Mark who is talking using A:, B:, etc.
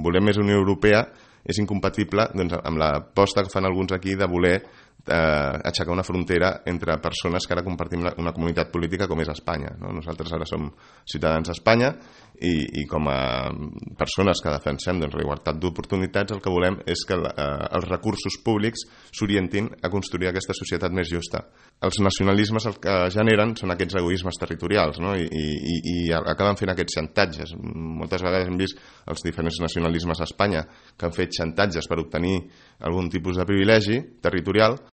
A: volem més Unió Europea és incompatible doncs, amb l'aposta que fan alguns aquí de voler aixecar una frontera entre persones que ara compartim una comunitat política com és Espanya, no? Nosaltres ara som ciutadans d'Espanya i com a persones que defensem doncs, la igualtat d'oportunitats, el que volem és que els recursos públics s'orientin a construir aquesta societat més justa. Els nacionalismes el que generen són aquests egoismes territorials, no? I acaben fent aquests xantatges. Moltes vegades hem vist els diferents nacionalismes a Espanya que han fet xantatges per obtenir algun tipus de privilegi territorial